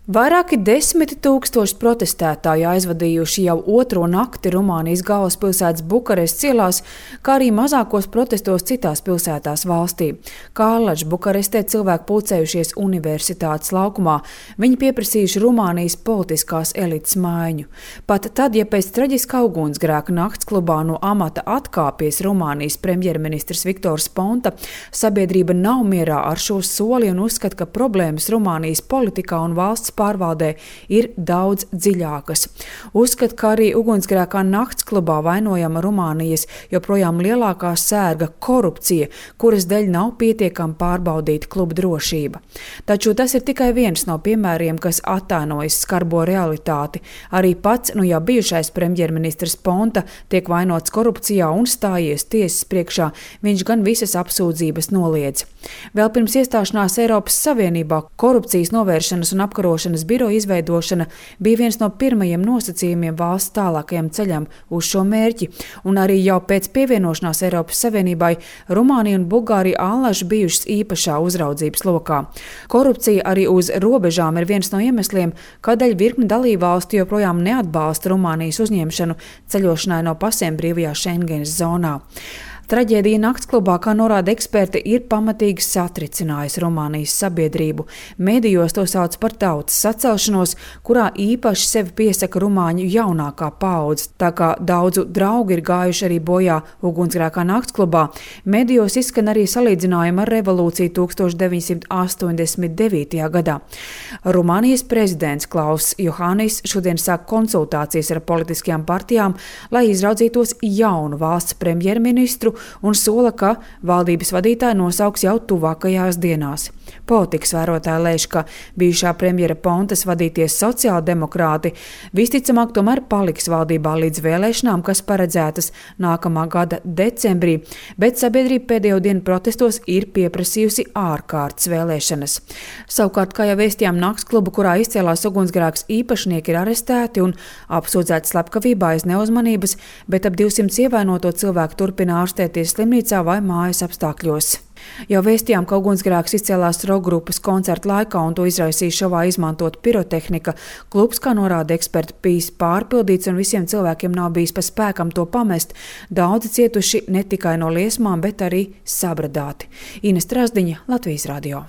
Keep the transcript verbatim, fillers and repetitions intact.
Vairāki desmiti tūkstoši protestētāji aizvadījuši jau otro nakti Rumānijas galvaspilsētas Bukarestes ielās, kā arī mazākos protestos citās pilsētās valstī. Kārlaģ Bukarestē cilvēki pulcējušies universitātes laukumā. Viņi pieprasījuši Rumānijas politiskās elites maiņu. Pat tad, ja pēc traģiskā ugunsgrēka naktsklubā no amata atkāpies Rumānijas premjerministrs Viktors Ponta, sabiedrība nav mierā ar šo soli un uzskata, ka problēmas Rumānijas politikā un valsts pārvaldē ir daudz dziļākas. Uzskat, ka arī ugunsgrēkā naktsklubā vainojama Rumānijas joprojām lielākā sērga korupcija, kuras dēļ nav pietiekami pārbaudīta kluba drošība. Taču tas ir tikai viens no piemēriem, kas attainojas skarbo realitāti. Arī pats, nu jau bijušais premjerministrs Ponta tiek vainots korupcijā un stājies tiesas priekšā, viņš gan visas apsūdzības noliedz. Vēl pirms iestāšanās Eiropas Savienībā korupcijas novēršanas un apkarošanas biroja izveidošana bija viens no pirmajiem nosacījumiem valsts tālākajam ceļam uz šo mērķi, un arī jau pēc pievienošanās Eiropas Savienībai Rumānija un Bulgārija allaž bijušas īpašā uzraudzības lokā. Korupcija arī uz robežām ir viens no iemesliem, kādēļ virkne dalībvalstu joprojām neatbalsta Rumānijas uzņemšanu ceļošanai no pasēm brīvajā Schengenas zonā. Traģēdija naktsklubā, kā norāda eksperti, ir pamatīgi satricinājusi Rumānijas sabiedrību. Medijos to sauc par tautas sacelšanos, kurā īpaši sevi piesaka rumāņu jaunākā paudze. Tā kā daudzu draugi ir gājuši arī bojā ugunsgrēkā naktsklubā, medijos izskan arī salīdzinājumi ar revolūciju tūkstoš deviņsimt astoņdesmit devītajā gadā. Rumānijas prezidents Klauss Johannis šodien sāk konsultācijas ar politiskajām partijām, lai izraudzītos jaunu valsts premjerministru, un sola, ka valdības vadītāji nosauks jau tuvākajās dienās. Politikas vērotāji lēš, ka bijušā premjera Pontas vadīties sociāldemokrāti visticamāk tomēr paliks valdībā līdz vēlēšanām, kas paredzētas nākamā gada decembrī, bet sabiedrība pēdējo dienu protestos ir pieprasījusi ārkārtas vēlēšanas. Savukārt, kā jau vēstījām, naktsklubu, kurā izcēlās ugunsgrēks, īpašnieki ir arestēti un apsūdzēti slepkavībā aiz neuzmanības, bet ap divsimt ievainoto cilvēku turpina ārstēties slimnīcā vai mājas apstākļos. Jau vēstījām, ka ugunsgrēks izcēlās rokgrupas koncerta laikā un to izraisīja šovā izmantot pirotehnika. Klubs, kā norāda eksperti, bijis pārpildīts un visiem cilvēkiem nav bijis pa spēkam to pamest. Daudzi cietuši ne tikai no liesmām, bet arī sabradāti. Ines Trasdiņa, Latvijas radio.